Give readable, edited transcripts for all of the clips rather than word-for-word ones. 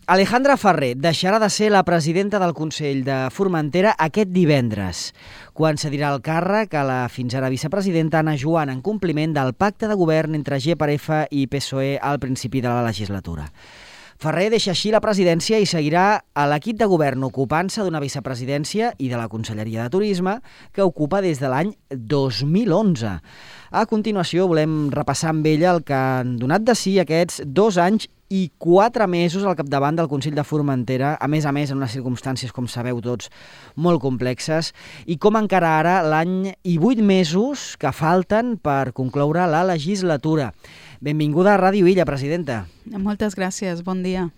Alejandra Ferrer deixarà de ser la presidenta del Consell de Formentera aquest divendres, quan cedirà el càrrec a la fins ara vicepresidenta Anna Joan en compliment del pacte de govern entre GPRF i PSOE al principi de la legislatura. Ferrer deixa així la presidència i seguirà a l'equip de govern ocupant-se d'una vicepresidència i de la Conselleria de Turisme que ocupa des de l'any 2011. A continuació volem repassar amb ella el que han donat de si aquests 2 anys i 4 mesos al capdavant del Consell de Formentera, a més en unes circumstàncies, com sabeu tots, molt complexes, i com encara ara l'any i 8 mesos que falten per concloure la legislatura. Benvinguda a Ràdio Illa, presidenta. Moltes gràcies, bon dia.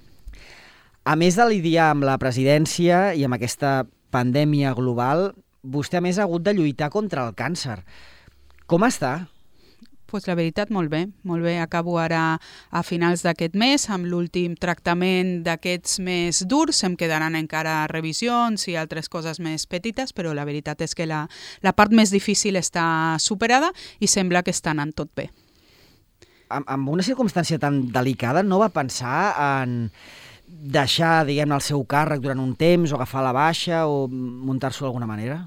A més de lidiar amb la presidència i amb aquesta pandèmia global, vostè a més ha hagut de lluitar contra el càncer. Com està? Pues la veritat, molt bé. Molt bé. Acabo ara a finals d'aquest mes amb l'últim tractament d'aquests més durs. Em quedaran encara revisions i altres coses més petites, però la veritat és que la part més difícil està superada i sembla que està anant tot bé. Amb una circumstància tan delicada, no va pensar en deixar, diguem-ne, el seu càrrec durant un temps o agafar la baixa o muntar-s'ho d'alguna manera?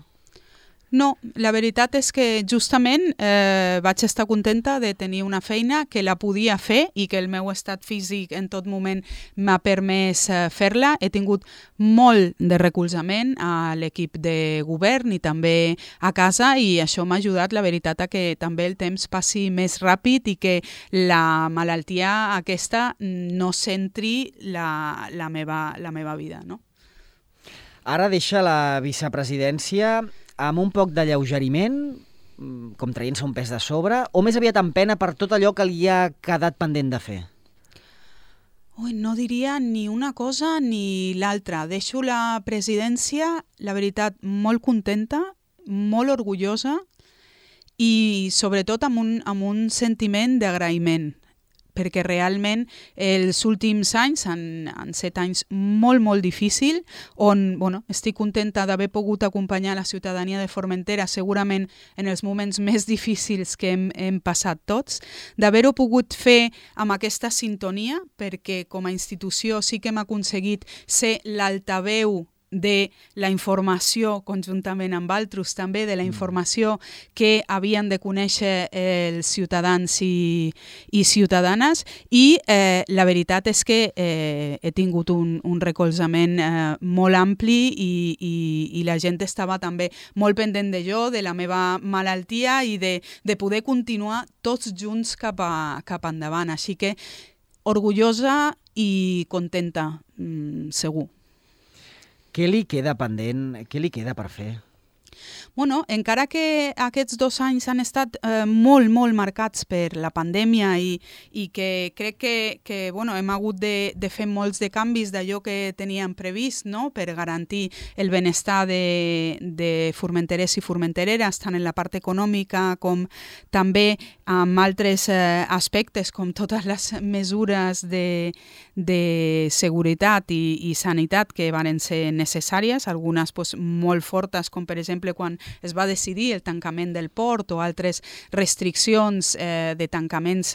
No, la veritat és que justament vaig estar contenta de tenir una feina que la podia fer i que el meu estat físic en tot moment m'ha permès fer-la. He tingut molt de recolzament a l'equip de govern i també a casa i això m'ha ajudat, la veritat, a que també el temps passi més ràpid i que la malaltia aquesta no centri la meva vida, no? Ara deixa la vicepresidència amb un poc d'alleugeriment, com traient-se un pes de sobre, o més aviat amb pena per tot allò que li ha quedat pendent de fer? No diria ni una cosa ni l'altra. Deixo la presidència, la veritat, molt contenta, molt orgullosa i sobretot amb un sentiment d'agraïment, perquè realment els últims anys han set anys molt difícils, on estic contenta d'haver pogut acompanyar la ciutadania de Formentera, segurament en els moments més difícils que hem passat tots, d'haver-ho pogut fer amb aquesta sintonia, perquè com a institució sí que hem aconseguit ser l'altaveu de la informació, conjuntament amb altres també, de la informació que havien de conèixer els ciutadans i ciutadanes, i la veritat és que he tingut un recolzament molt ampli i la gent estava també molt pendent de jo, de la meva malaltia i de poder continuar tots junts cap endavant. Així que orgullosa i contenta, segur. Què li queda pendent? Què li queda per fer? Encara que aquests 2 anys han estat molt marcats per la pandèmia i que crec que hem hagut de fer molts de canvis d'allò que teníem previst, no?, per garantir el benestar de formenterers i formentereres, tant en la part econòmica com també amb altres aspectes, com totes les mesures de seguretat i sanitat que van ser necessàries, algunes molt fortes, com per exemple quan es va decidir el tancament del port o altres restriccions de tancaments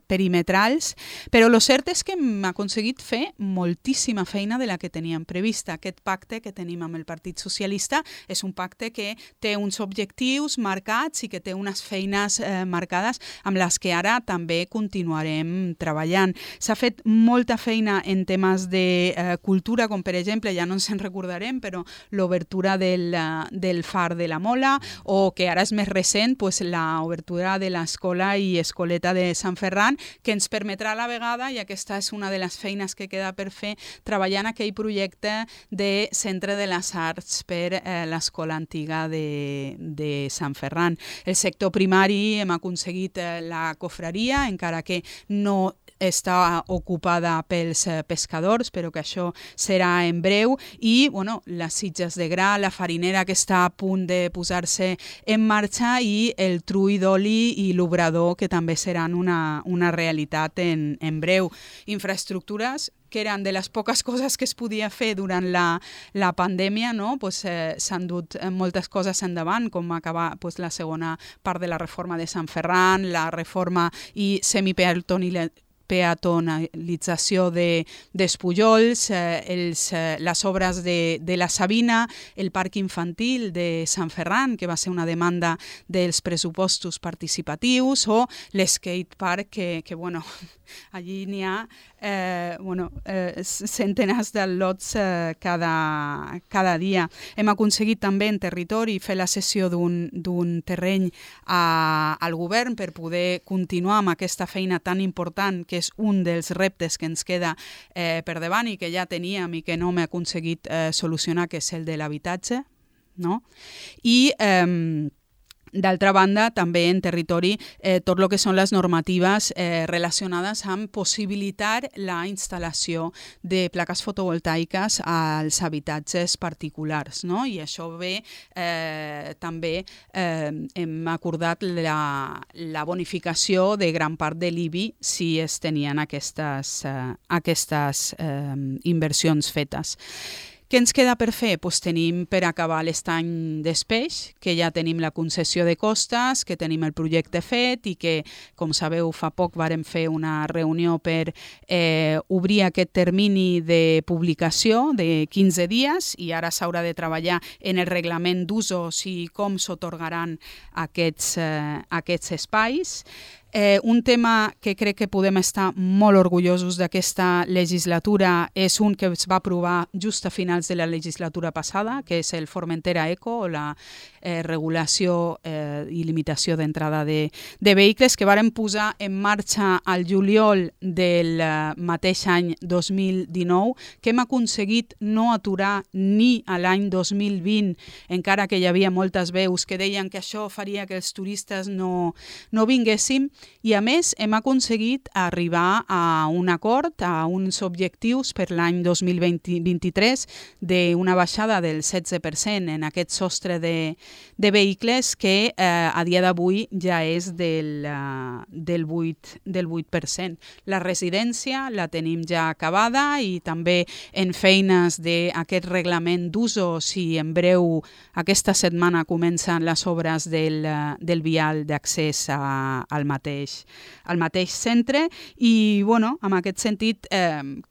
perimetrals, però el cert és que hem aconseguit fer moltíssima feina de la que teníem prevista. Aquest pacte que tenim amb el Partit Socialista és un pacte que té uns objectius marcats i que té unes feines marcades amb les que ara també continuarem treballant. S'ha fet molta feina en temes de cultura, com per exemple, ja no ens en recordarem, però l'obertura del Far de la Mola, o que ara és més recent, l'obertura de l'escola i escoleta de Sant Ferran, que ens permetrà a la vegada, i aquesta és una de les feines que queda per fer, treballar en aquell projecte de Centre de les Arts per l'escola antiga de Sant Ferran. El sector primari hem aconseguit la cofreria, encara que no està ocupada pels pescadors, però que això serà en breu, i les sitges de gra, la farinera que està a punt de posar-se en marxa i el trull d'oli i l'obrador que també seran una realitat en breu. Infraestructures que eren de les poques coses que es podia fer durant la pandèmia, no? S'han dut moltes coses endavant, com acabar la segona part de la reforma de Sant Ferran, la reforma i peatonalització d'Espullols, les obres de la Sabina, el parc infantil de Sant Ferran, que va ser una demanda dels pressupostos participatius, o l'skatepark, que bueno, allí n'hi ha centenars de lots cada dia. Hem aconseguit també en territori fer la cessió d'un terreny al govern per poder continuar amb aquesta feina tan important, que és un dels reptes que ens queda per davant i que ja teníem i que no m'he aconseguit solucionar, que és el de l'habitatge, no? I d'altra banda, també en territori, tot el que són les normatives relacionades amb possibilitar la instal·lació de plaques fotovoltaiques als habitatges particulars, no? I això ve, també hem acordat la bonificació de gran part de l'IBI si es tenien aquestes inversions fetes. Què ens queda per fer? Pues tenim per acabar l'estany d'Espeix, que ja tenim la concessió de costes, que tenim el projecte fet i que, com sabeu, fa poc vàrem fer una reunió per obrir aquest termini de publicació de 15 dies i ara s'haurà de treballar en el reglament d'usos i com s'atorgaran aquests espais. Un tema que crec que podem estar molt orgullosos d'aquesta legislatura és un que es va aprovar just a finals de la legislatura passada, que és el Formentera Eco, o la regulació i limitació d'entrada de vehicles, que varen posar en marxa al juliol del mateix any 2019, que hem aconseguit no aturar ni a l'any 2020, encara que hi havia moltes veus que deien que això faria que els turistes no vinguéssim, i a més hem aconseguit arribar a un acord, a uns objectius per l'any 2023 d'una baixada del 16% en aquest sostre de vehicles que a dia d'avui ja és del 8%. La residència la tenim ja acabada i també en feines d'aquest reglament d'usos i en breu aquesta setmana comencen les obres del vial d'accés al mateix centre i en aquest sentit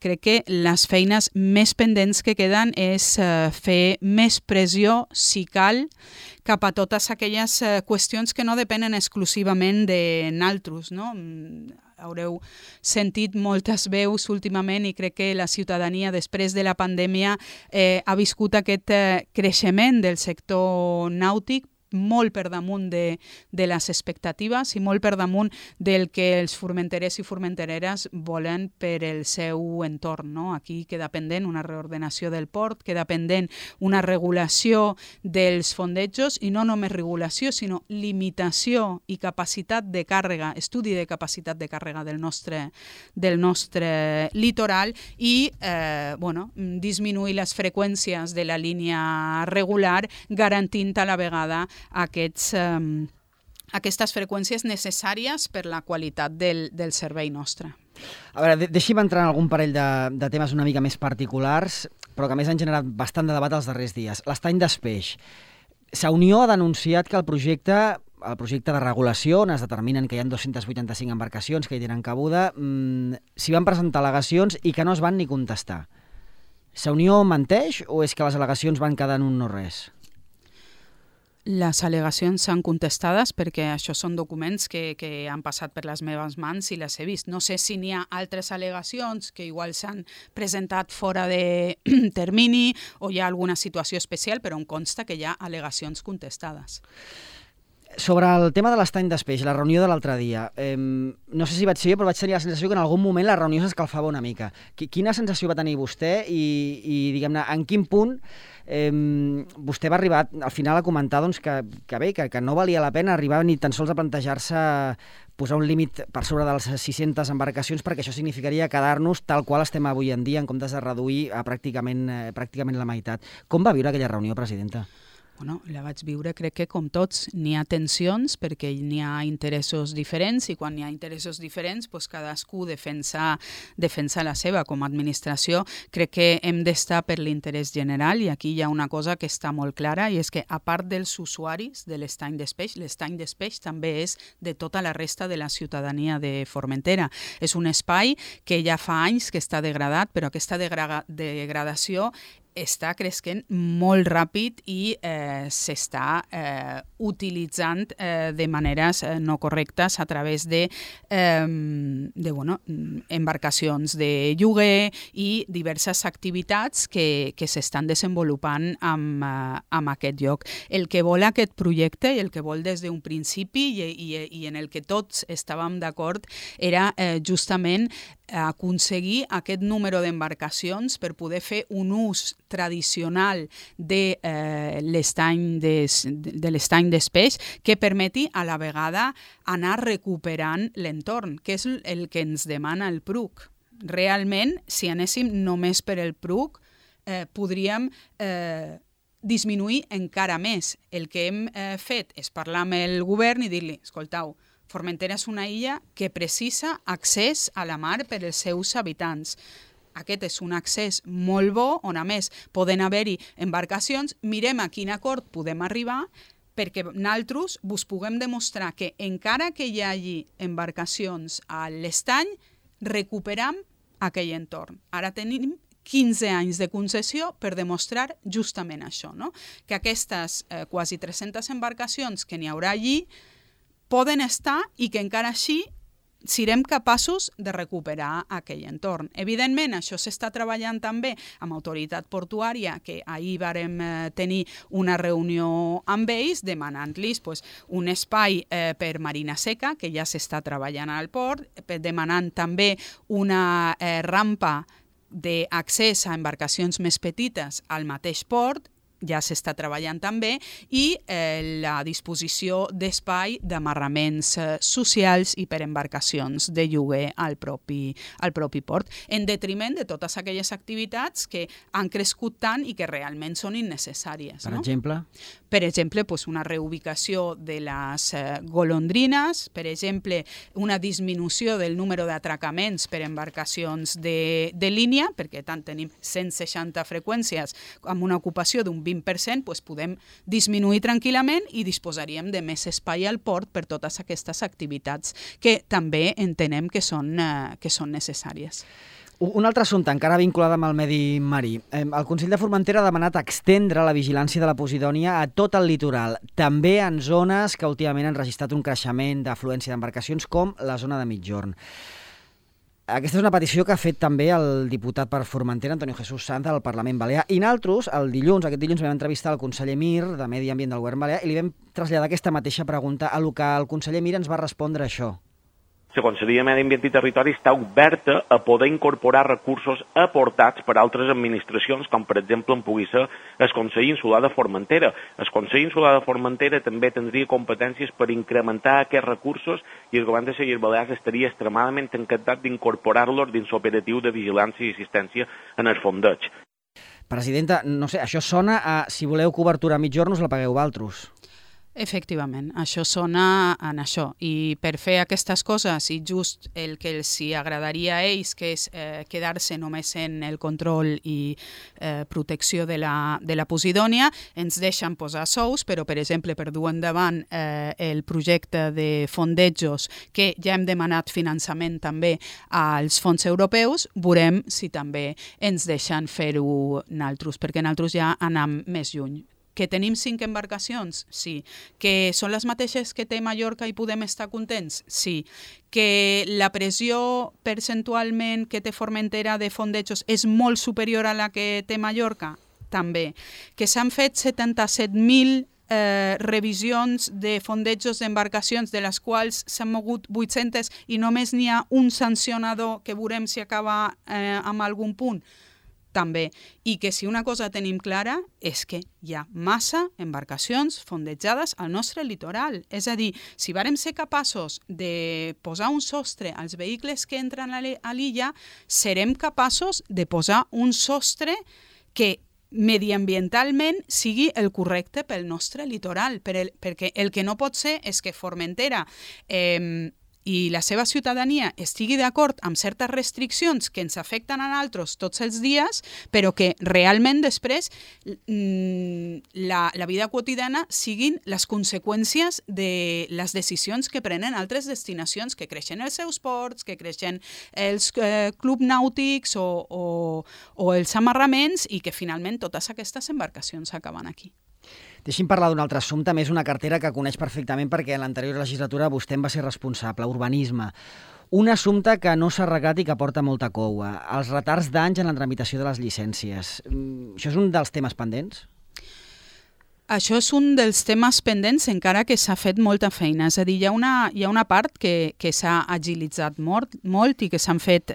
crec que les feines més pendents que queden és fer més pressió, si cal, cap a totes aquelles qüestions que no depenen exclusivament de naltros, no? Haureu sentit moltes veus últimament i crec que la ciutadania després de la pandèmia ha viscut aquest creixement del sector nàutic molt per damunt de les expectatives i molt per damunt del que els formenterers i formentereres volen per el seu entorn, no? Aquí queda pendent una reordenació del port, queda pendent una regulació dels fondejos i no només regulació, sinó limitació i capacitat de càrrega, estudi de capacitat de càrrega del nostre litoral i disminuir les freqüències de la línia regular, garantint a la vegada aquestes freqüències necessàries per la qualitat del servei nostre. A veure, deixi'm entrar en algun parell de temes una mica més particulars, però que a més han generat bastant de debat els darrers dies. L'estany d'Espeix. Unió ha denunciat que el projecte de regulació, on es determinen que hi ha 285 embarcacions que hi tenen cabuda, s'hi van presentar al·legacions i que no es van ni contestar. Unió menteix o és que les al·legacions van quedar en un no res? Les al·legacions són contestades perquè això són documents que han passat per les meves mans i les he vist. No sé si n'hi ha altres al·legacions que igual s'han presentat fora de termini o hi ha alguna situació especial, però em consta que hi ha al·legacions contestades. Sobre el tema de l'estany d'Espeix, la reunió de l'altre dia, no sé si vaig ser jo, però vaig tenir la sensació que en algun moment la reunió s'escalfava una mica. Quina sensació va tenir vostè i diguem-ne, en quin punt vostè va arribar al final a comentar que no valia la pena arribar ni tan sols a plantejar-se posar un límit per sobre de les 600 embarcacions perquè això significaria quedar-nos tal qual estem avui en dia en comptes de reduir a pràcticament la meitat. Com va viure aquella reunió, presidenta? La vaig viure, crec que com tots, n'hi ha tensions perquè n'hi ha interessos diferents i quan n'hi ha interessos diferents cadascú defensa la seva. Com a administració crec que hem d'estar per l'interès general i aquí hi ha una cosa que està molt clara i és que a part dels usuaris de l'estany d'Espeix, l'estany d'Espeix també és de tota la resta de la ciutadania de Formentera. És un espai que ja fa anys que està degradat, però aquesta degradació està creixent molt ràpid i s'està utilitzant de maneres no correctes a través de embarcacions de lloguer i diverses activitats que s'estan desenvolupant en aquest lloc. El que vol aquest projecte i el que vol des d'un principi i en el que tots estàvem d'acord era justament aconseguir aquest número d'embarcacions per poder fer un ús tradicional de l'estany d'Espeix que permeti a la vegada anar recuperant l'entorn, que és el que ens demana el PRUC. Realment, si anéssim només per el PRUC, podríem disminuir encara més. El que hem fet és parlar amb el govern i dir-li, escoltau, Formentera és una illa que precisa accés a la mar per als seus habitants. Aquest és un accés molt bo, on a més poden haver-hi embarcacions. Mirem a quin acord podem arribar perquè nosaltres vos puguem demostrar que encara que hi hagi embarcacions a l'estany, recuperam aquell entorn. Ara tenim 15 anys de concessió per demostrar justament això, no? Que aquestes quasi 300 embarcacions que n'hi haurà allí poden estar i que encara així serem capaços de recuperar aquell entorn. Evidentment, això s'està treballant també amb Autoritat Portuària, que ahir vàrem tenir una reunió amb ells demanant-los un espai per marina seca, que ja s'està treballant al port, demanant també una rampa d'accés a embarcacions més petites al mateix port, ja s'està treballant també, i la disposició d'espai d'amarraments socials i per embarcacions de lloguer al propi port, en detriment de totes aquelles activitats que han crescut tant i que realment són innecessàries. Per exemple? Per exemple, una reubicació de les golondrines, per exemple, una disminució del número d'atracaments per embarcacions de línia, perquè tant tenim 160 freqüències amb una ocupació d'un 20%, podem disminuir tranquil·lament i disposaríem de més espai al port per totes aquestes activitats que també entenem que són necessàries. Un altre assumpte, encara vinculat amb el medi marí. El Consell de Formentera ha demanat extendre la vigilància de la Posidònia a tot el litoral, també en zones que últimament han registrat un creixement d'afluència d'embarcacions, com la zona de Migjorn. Aquesta és una petició que ha fet també el diputat per Formentera, Antonio Jesús Sanz, del Parlament Balear. I nosaltres, aquest dilluns vam entrevistar el conseller Mir, de Medi Ambient del Govern Balear, i li vam traslladar aquesta mateixa pregunta, a lo que el conseller Mir ens va respondre això. La Conselleria de Medi Ambient i Territori està oberta a poder incorporar recursos aportats per altres administracions, com per exemple en pugui ser el Consell Insular de Formentera. El Consell Insular de Formentera també tindria competències per incrementar aquests recursos i el govern de les Illes Balears estaria extremadament encantat d'incorporar-los dins l'operatiu de vigilància i assistència en el fondeig. Presidenta, no sé, això sona a si voleu cobertura a Migjorn us la pagueu vosaltres. Efectivament, això sona en això. I per fer aquestes coses, i just el que els agradaria a ells, que és quedar-se només en el control i protecció de la Posidònia, ens deixen posar sous, però, per exemple, per dur endavant el projecte de fondejos, que ja hem demanat finançament també als fons europeus, veurem si també ens deixen fer-ho nosaltres, perquè nosaltres ja anem més lluny. Que tenim 5 embarcacions? Sí. Que són les mateixes que té Mallorca i podem estar contents? Sí. Que la pressió percentualment que té Formentera de fondejos és molt superior a la que té Mallorca? També. Que s'han fet 77.000 revisions de fondejos d'embarcacions, de les quals s'han mogut 800 i només n'hi ha un sancionador que veurem si acaba amb algun punt? També, i que si una cosa tenim clara és que hi ha massa embarcacions fondejades al nostre litoral. És a dir, si vàrem ser capaços de posar un sostre als vehicles que entren a l'illa, serem capaços de posar un sostre que mediambientalment sigui el correcte pel nostre litoral, perquè el que no pot ser és que Formentera i la seva ciutadania estigui d'acord amb certes restriccions que ens afecten a nosaltres tots els dies, però que realment després la vida quotidiana siguin les conseqüències de les decisions que prenen altres destinacions, que creixen els seus ports, que creixen els clubs nàutics o els amarraments i que finalment totes aquestes embarcacions acaben aquí. Deixi'm parlar d'un altre assumpte, més una cartera que coneix perfectament perquè en l'anterior legislatura vostè en va ser responsable, urbanisme. Un assumpte que no s'ha arreglat i que porta molta coua, els retards d'anys en la tramitació de les llicències. Això és un dels temes pendents? Això és un dels temes pendents, encara que s'ha fet molta feina. És a dir, hi ha una part que s'ha agilitzat molt i que s'han fet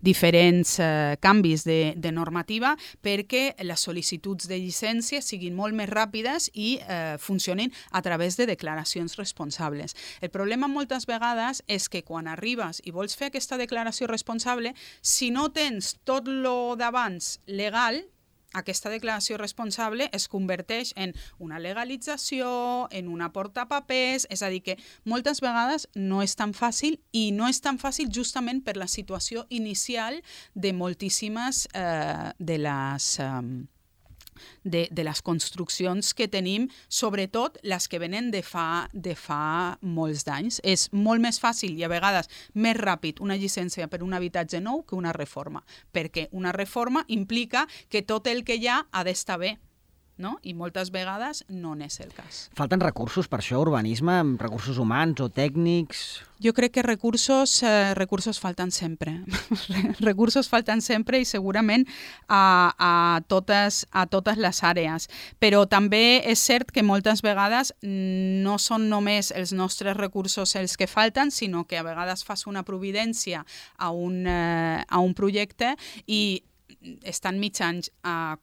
diferents canvis de normativa perquè les sol·licituds de llicència siguin molt més ràpides i funcionin a través de declaracions responsables. El problema moltes vegades és que quan arribes i vols fer aquesta declaració responsable, si no tens tot lo d'abans legal, aquesta declaració responsable es converteix en una legalització, en una portapapers, és a dir, que moltes vegades no és tan fàcil i no és tan fàcil justament per la situació inicial de moltíssimes de les construccions que tenim, sobretot les que venen de fa molts d'anys. És molt més fàcil i a vegades més ràpid una llicència per un habitatge nou que una reforma, perquè una reforma implica que tot el que hi ha d'estar bé, no? I moltes vegades no n'és el cas. Falten recursos per això, urbanisme, recursos humans o tècnics? Jo crec que recursos falten sempre. Recursos falten sempre i segurament a totes les àrees. Però també és cert que moltes vegades no són només els nostres recursos els que falten, sinó que a vegades fas una providència a un projecte i estan mig anys a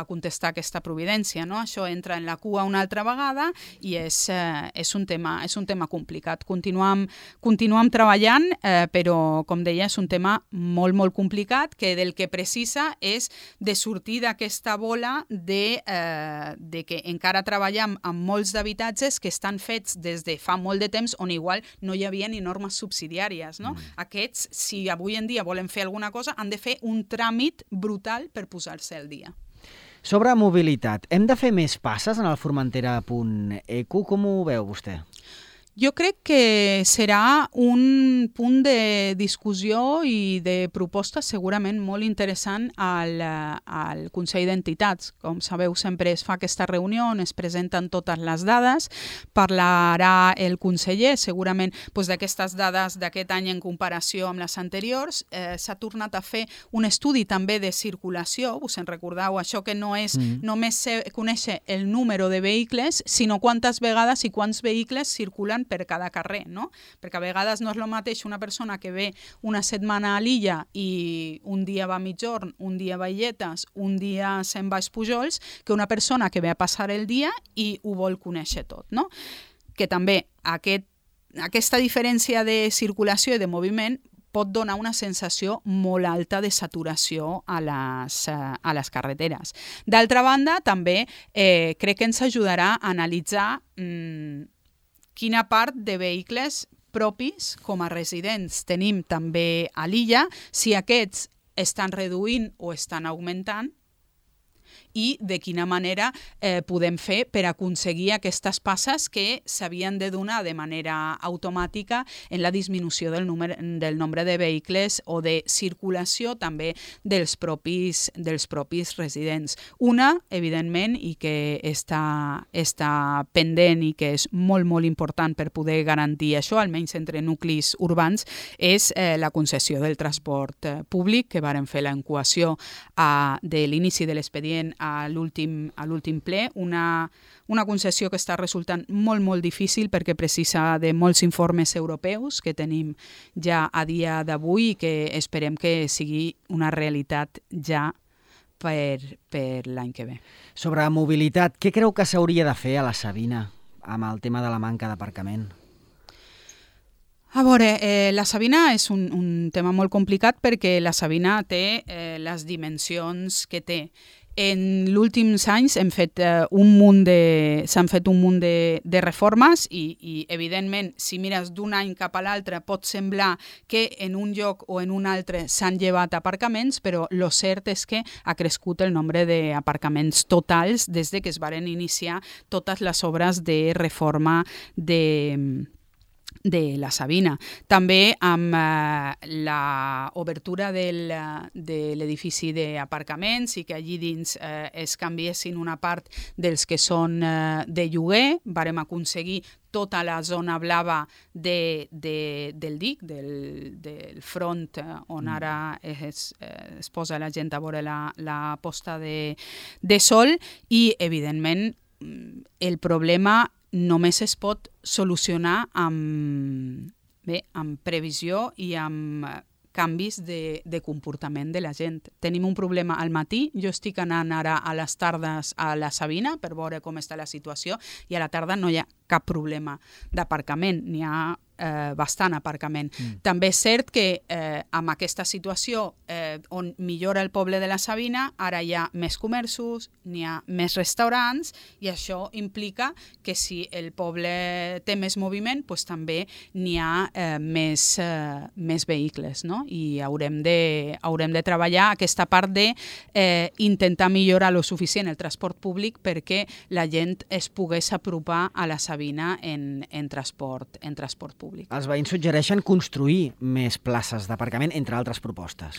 contestar aquesta providència, no? Això entra en la cua una altra vegada i és un tema complicat. Continuem treballant, però, com deia, és un tema molt, molt complicat que del que precisa és de sortir d'aquesta bola de que encara treballem amb molts d'habitatges que estan fets des de fa molt de temps on igual no hi havia ni normes subsidiàries, no? Aquests, si avui en dia volen fer alguna cosa, han de fer un tràmit brutal per posar-se al dia. Sobre mobilitat, hem de fer més passes en el Formentera.eco? Com ho veu vostè? Jo crec que serà un punt de discussió i de proposta segurament molt interessant al Consell d'Entitats. Com sabeu, sempre es fa aquesta reunió on es presenten totes les dades. Parlarà el conseller segurament d'aquestes dades d'aquest any en comparació amb les anteriors. S'ha tornat a fer un estudi també de circulació. Us en recordeu, això que no és només conèixer el número de vehicles, sinó quantes vegades i quants vehicles circulen per cada carrer, no? Perquè a vegades no és el mateix una persona que ve una setmana a l'illa i un dia va a Migjorn, un dia va a Illetes, un dia se'n va a Espujols, que una persona que ve a passar el dia i ho vol conèixer tot, no? Que també aquesta diferència de circulació i de moviment pot donar una sensació molt alta de saturació a les carreteres. D'altra banda, també crec que ens ajudarà a analitzar quina part de vehicles propis com a residents tenim també a l'illa, si aquests estan reduint o estan augmentant, i de quina manera podem fer per aconseguir aquestes passes que s'havien de donar de manera automàtica en la disminució del nombre de vehicles o de circulació també dels propis residents. Una, evidentment, i que està pendent i que és molt, molt important per poder garantir això, almenys entre nuclis urbans, és la concessió del transport públic, que varen fer l'enquació de l'inici de l'expedient a l'últim ple, una concessió que està resultant molt, molt difícil perquè precisa de molts informes europeus que tenim ja a dia d'avui i que esperem que sigui una realitat ja per l'any que ve. Sobre mobilitat, què creu que s'hauria de fer a la Sabina amb el tema de la manca d'aparcament? A veure, la Sabina és un tema molt complicat perquè la Sabina té les dimensions que té. En els últims anys s'han fet un munt de reformes i, evidentment, si mires d'un any cap a l'altre pot semblar que en un lloc o en un altre s'han llevat aparcaments, però el cert és que ha crescut el nombre d'aparcaments totals des que es varen iniciar totes les obres de reforma de la Sabina. També amb l'obertura de l'edifici d'aparcaments i que allí dins es canviessin una part dels que són de lloguer, vàrem aconseguir tota la zona blava del dic, del front on ara es posa la gent a veure la posta de sol i, evidentment, el problema només es pot solucionar amb previsió i amb canvis de comportament de la gent. Tenim un problema al matí, jo estic anant ara a les tardes a la Sabina per veure com està la situació i a la tarda no hi ha cap problema d'aparcament, n'hi ha bastant aparcament. També és cert que amb aquesta situació on millora el poble de la Sabina, ara hi ha més comerços, n'hi ha més restaurants i això implica que si el poble té més moviment, doncs també n'hi ha més vehicles, no? I haurem de treballar aquesta part d'intentar millorar lo suficient el transport públic perquè la gent es pogués apropar a la Sabina en transport públic. Els veïns suggereixen construir més places d'aparcament, entre altres propostes.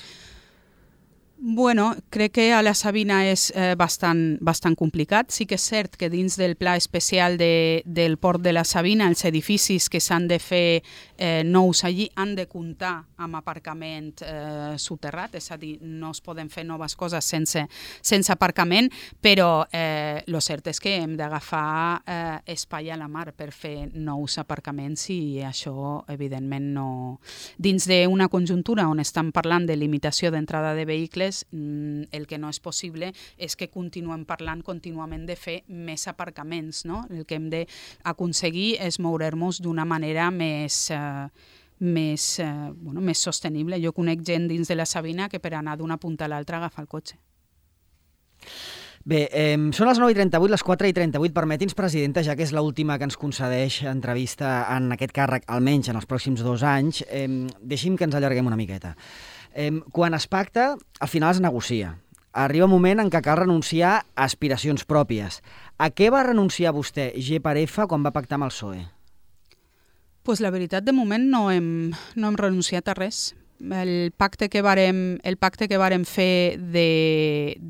Bueno, crec que a la Sabina és bastant complicat. Sí que és cert que dins del pla especial del port de la Sabina els edificis que s'han de fer nous allí han de comptar amb aparcament soterrat, és a dir, no es poden fer noves coses sense aparcament, però el cert és que hem d'agafar espai a la mar per fer nous aparcaments i això, evidentment, no... Dins d'una conjuntura on estan parlant de limitació d'entrada de vehicles, el que no és possible és que continuem parlant contínuament de fer més aparcaments, no? El que hem d'aconseguir és moure'ns d'una manera més sostenible. Jo conec gent dins de la Sabina que per anar d'una punta a l'altra agafa el cotxe. Bé, són les 9:38, les 4:38. Permeti'ns, presidenta, ja que és l'última que ens concedeix entrevista en aquest càrrec, almenys en els pròxims 2 anys, deixi'm que ens allarguem una miqueta. Quan es pacta, al final es negocia. Arriba un moment en què cal renunciar a aspiracions pròpies. A què va renunciar vostè, G per F, quan va pactar amb el PSOE? Pues la veritat, de moment no hem renunciat a res. El pacte que vàrem fer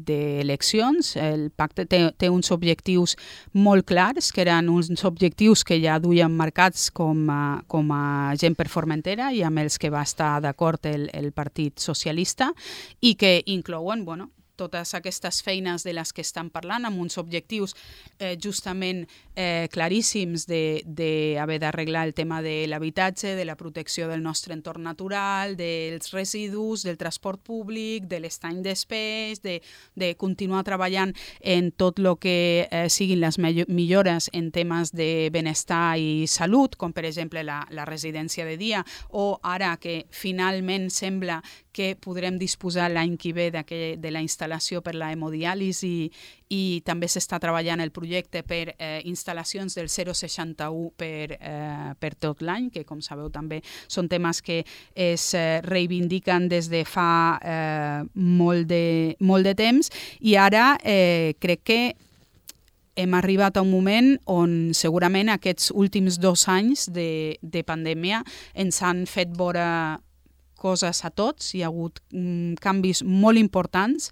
d'eleccions, el pacte té uns objectius molt clars, que eren uns objectius que ja duien marcats com a gent per Formentera i amb els que va estar d'acord el Partit Socialista i que inclouen, totes aquestes feines de les que estan parlant amb uns objectius justament claríssims d'haver d'arreglar el tema de l'habitatge, de la protecció del nostre entorn natural, dels residus, del transport públic, de l'estany d'espais, de continuar treballant en tot el que siguin les millores en temes de benestar i salut, com per exemple la residència de dia, o ara que finalment sembla que podrem disposar l'any que ve de la instal·lació per la hemodiàlisi i també s'està treballant el projecte per instal·lacions del 0,61 per tot l'any, que com sabeu també són temes que es reivindiquen des de fa molt de temps i ara crec que hem arribat a un moment on segurament aquests últims 2 anys de pandèmia ens han fet veure coses a tots, hi ha hagut canvis molt importants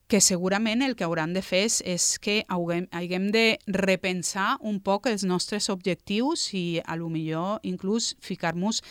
que segurament el que hauran de fer és que haguem de repensar un poc els nostres objectius i a lo millor inclús ficar-nos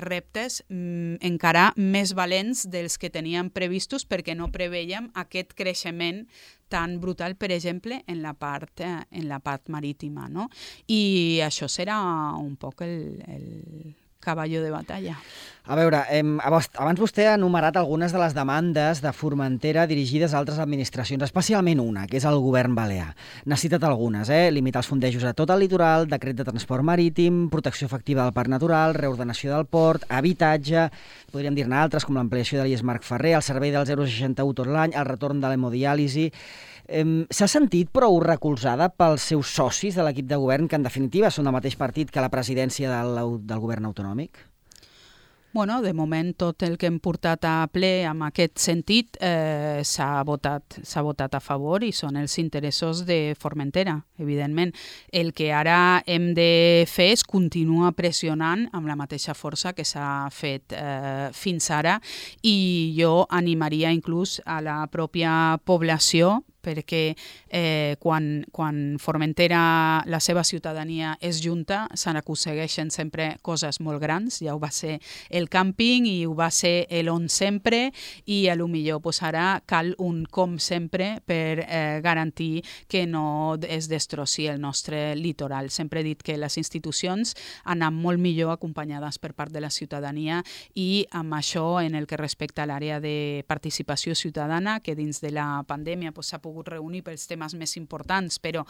reptes encara més valents dels que teníem previstos perquè no preveiem aquest creixement tan brutal, per exemple, en la part marítima, no? I això serà un poc el caballo de batalla. A veure, abans vostè ha enumerat algunes de les demandes de Formentera dirigides a altres administracions, especialment una, que és el govern balear. N'ha citat algunes, limitar els fondejos a tot el litoral, decret de transport marítim, protecció efectiva del parc natural, reordenació del port, habitatge, podríem dir-ne altres, com l'ampliació de l'IES Marc Ferrer, el servei del 061 tot l'any, el retorn de l'hemodiàlisi. S'ha sentit prou recolzada pels seus socis de l'equip de govern, que en definitiva són del mateix partit que la presidència del govern autonòmic? Bueno, de moment tot el que hem portat a ple en aquest sentit s'ha votat a favor i són els interessos de Formentera, evidentment. El que ara hem de fer és continuar pressionant amb la mateixa força que s'ha fet fins ara i jo animaria inclús a la pròpia població perquè quan Formentera, la seva ciutadania és junta, se n'aconsegueixen sempre coses molt grans. Ja ho va ser el càmping i ho va ser l'on sempre i a lo millor ara cal un com sempre per garantir que no es destrossi el nostre litoral. Sempre he dit que les institucions han anat molt millor acompanyades per part de la ciutadania i amb això en el que respecta a l'àrea de participació ciutadana, que dins de la pandèmia s'ha pogut reunir pels temes més importants, però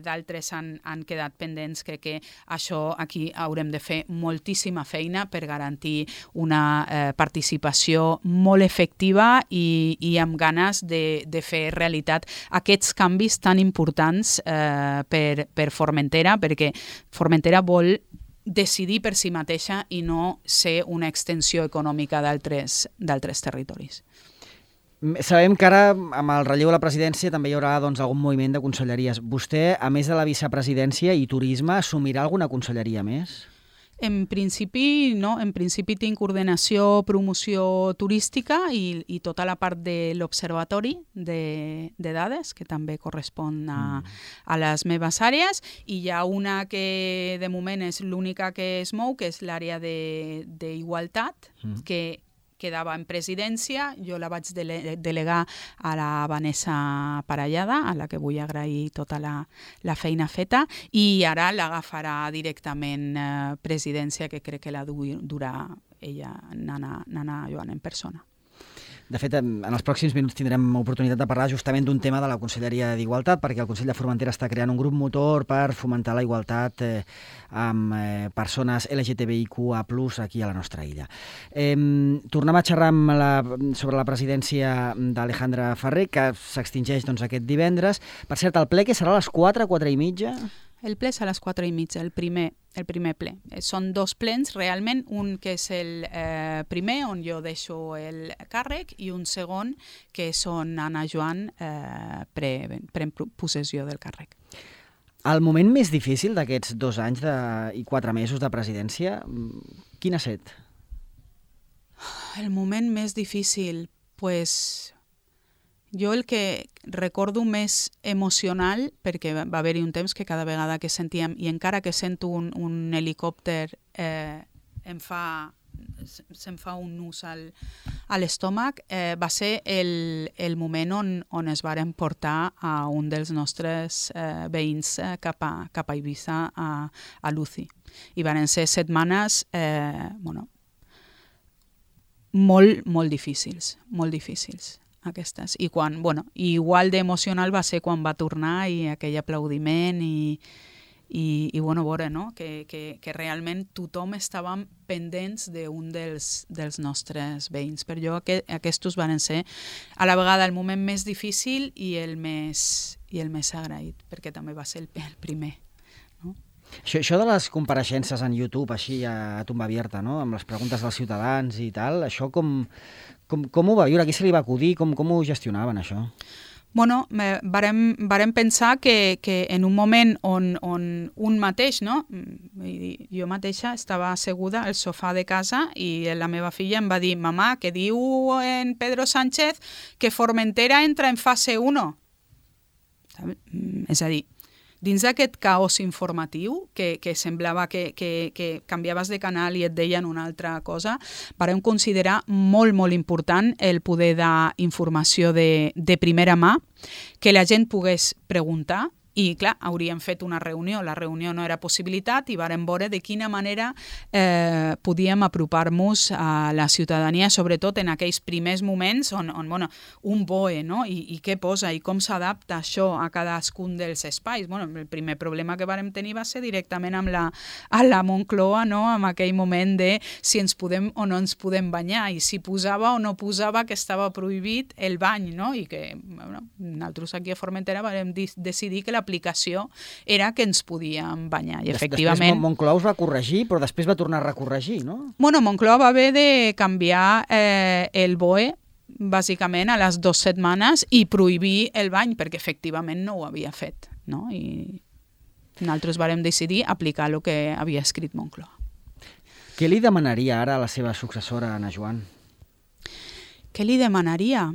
d'altres han quedat pendents. Crec que això aquí haurem de fer moltíssima feina per garantir una participació molt efectiva i amb ganes de fer realitat aquests canvis tan importants per Formentera, perquè Formentera vol decidir per si mateixa i no ser una extensió econòmica d'altres territoris. Sabem que ara, amb el relleu a la presidència, també hi haurà algun moviment de conselleries. Vostè, a més de la vicepresidència i turisme, assumirà alguna conselleria més? En principi, no. En principi tinc ordenació, promoció turística i tota la part de l'observatori de dades, que també correspon a les meves àrees, i hi ha una que de moment és l'única que es mou, que és l'àrea d'igualtat, que quedava en presidència. Jo la vaig delegar a la Vanessa Parellada, a la que vull agrair tota la feina feta, i ara l'agafarà directament presidència, que crec que la durà ella, Nana Joan, en persona. De fet, en els pròxims minuts tindrem oportunitat de parlar justament d'un tema de la Conselleria d'Igualtat, perquè el Consell de Formentera està creant un grup motor per fomentar la igualtat amb persones LGTBIQA+, aquí a la nostra illa. Tornem a xerrar sobre la presidència d'Alejandra Ferrer, que s'extingeix aquest divendres. Per cert, el ple que serà a les 4, 4:30? El ple és a les 4:30, el primer ple. Són dos plens, realment, un que és el primer, on jo deixo el càrrec, i un segon, que és on Anna Joan pren possessió del càrrec. El moment més difícil d'aquests 2 anys i 4 mesos de presidència, quin ha estat? El moment més difícil, jo el que recordo més emocional, perquè va haver-hi un temps que cada vegada que sentíem, i encara que sento un helicòpter se'm fa un nus a l'estómac, va ser el moment on es varen portar a un dels nostres veïns cap a Eivissa, a Luci. I varen ser setmanes molt difícils, aquestes. I igual d'emocional va ser quan va tornar i aquell aplaudiment i veure, no? que realment tothom estava pendents d'un dels nostres veïns. Per jo aquests van ser a la vegada el moment més difícil i el més agraït, perquè també va ser el primer. No? Això de les compareixences en YouTube, així a tomba abierta, no? Amb les preguntes dels ciutadans i tal, això com ho va viure? A qui se li va acudir? Com ho gestionaven, això? Bueno, varem pensar que en un moment on un mateix, no? Jo mateixa estava asseguda al sofà de casa i la meva filla em va dir: «Mamà, que diu en Pedro Sánchez que Formentera entra en fase 1». És a dir, dins d'aquest caos informatiu, que semblava que canviaves de canal i et deien una altra cosa, varem considerar molt important el poder d'informació de primera mà, que la gent pogués preguntar I, clar, hauríem fet una reunió. La reunió no era possibilitat i vàrem veure de quina manera podíem apropar-nos a la ciutadania, sobretot en aquells primers moments on bueno, un BOE, no? I què posa i com s'adapta això a cadascun dels espais. Bueno, el primer problema que vàrem tenir va ser directament amb la Moncloa, no? En aquell moment de si ens podem o no ens podem banyar i si posava o no posava que estava prohibit el bany, no? I que bueno, nosaltres aquí a Formentera vam decidir que l'aplicació era que ens podíem banyar. I efectivament... Després Moncloa us va corregir, però després va tornar a recorregir, no? Bueno, Moncloa va haver de canviar el BOE bàsicament a les 2 setmanes i prohibir el bany, perquè efectivament no ho havia fet, no? I nosaltres vàrem decidir aplicar el que havia escrit Moncloa. Què li demanaria ara a la seva successora, Anna Joan? Què li demanaria?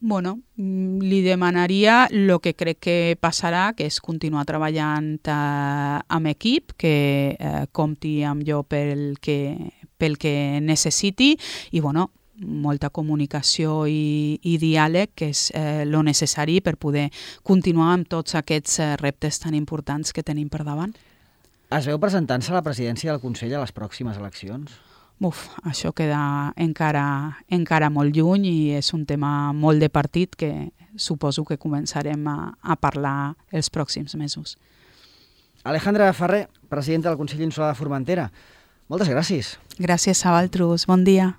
Bueno, li demanaria el que crec que passarà, que és continuar treballant amb equip, que compti amb jo pel que necessiti i, bueno, molta comunicació i diàleg, que és lo necessari per poder continuar amb tots aquests reptes tan importants que tenim per davant. Es veu presentant-se a la presidència del Consell a les pròximes eleccions? Això queda encara molt lluny i és un tema molt de partit que suposo que començarem a parlar els pròxims mesos. Alejandra Ferrer, presidenta del Consell Insular de Formentera, moltes gràcies. Gràcies a vosaltres, bon dia.